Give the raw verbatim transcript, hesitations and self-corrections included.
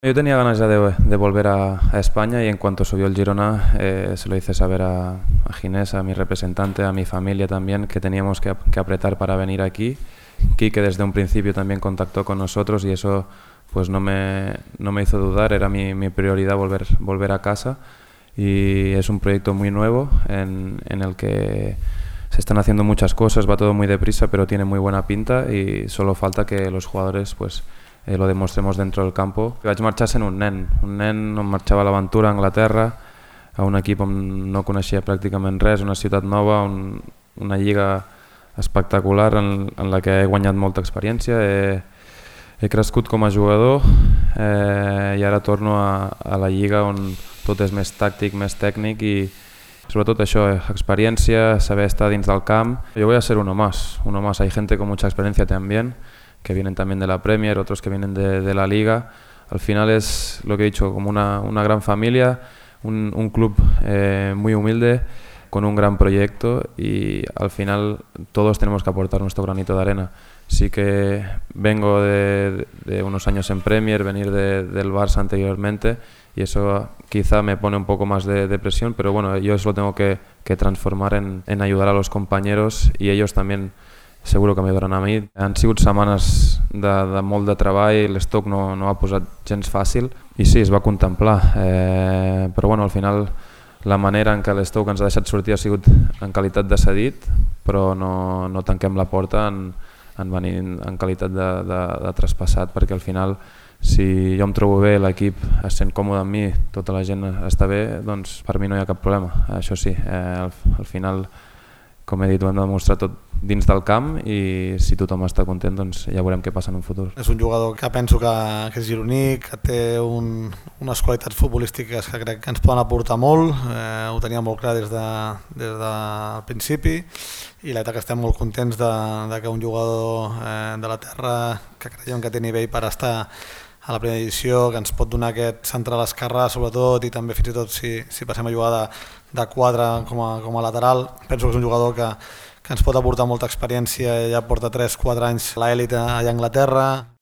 Yo tenía ganas ya de, de volver a, a España y en cuanto subió el Girona eh, se lo hice saber a, a Ginés, a mi representante, a mi familia también, que teníamos que, que apretar para venir aquí. Quique desde un principio también contactó con nosotros y eso pues no me, no me hizo dudar, era mi, mi prioridad volver, volver a casa y es un proyecto muy nuevo en, en el que se están haciendo muchas cosas, va todo muy deprisa pero tiene muy buena pinta y solo falta que los jugadores pues eh, lo demostremos dentro del campo. Vaig marxar sent un nen, un nen on marxava a l'aventura a Anglaterra, a un equip on no coneixia pràcticament res, una ciutat nova, un, una lliga espectacular en, en la que he guanyat molta experiència, he, he crescut com a jugador eh, i ara torno a, a la lliga on tot és més tàctic, més tècnic i sobretot això, experiencia, saber estar dins del camp. Yo voy a ser uno más, uno más. Hay gente con mucha experiencia también, que vienen también de la Premier, otros que vienen de, de la Liga. Al final es lo que he dicho, como una, una gran familia, un, un club eh, muy humilde, con un gran proyecto y al final todos tenemos que aportar nuestro granito de arena. Sí que vengo de, de unos años en Premier, venir de, del Barça anteriormente y eso quizá me pone un poco más de, de presión, pero bueno, yo eso lo tengo que, que transformar en, en ayudar a los compañeros y ellos también seguro que m'ajudaran a mi. Han sigut setmanes de, de molt de treball, l'Stoke no, no ha posat gens fàcil i sí, es va contemplar, eh, però bueno, al final la manera en què l'Stoke ens ha deixat sortir ha sigut en qualitat de cedit, però no, no tanquem la porta en, en venir en qualitat de, de, de traspassat, perquè al final si jo em trobo bé, l'equip es sent còmode amb mi, tota la gent està bé, doncs per mi no hi ha cap problema. Això sí, eh, al, al final, com he dit, ho hem de demostrar tot dins del camp i si tothom està content doncs ja veurem què passa en un futur. És un jugador que penso que, que és gironí, que té un, unes qualitats futbolístiques que crec que ens poden aportar molt, eh, ho tenia molt clar des, de, des del principi i la veritat que estem molt contents de, de que un jugador eh, de la terra que creiem que té nivell per estar a la primera edició, que ens pot donar aquest central esquerrà sobretot i també fins i tot si, si passem a jugar de, de quatre com a, com a lateral, penso que és un jugador que, que ens pot aportar molta experiència, ja porta tres quatre anys a l'elit allà a Anglaterra.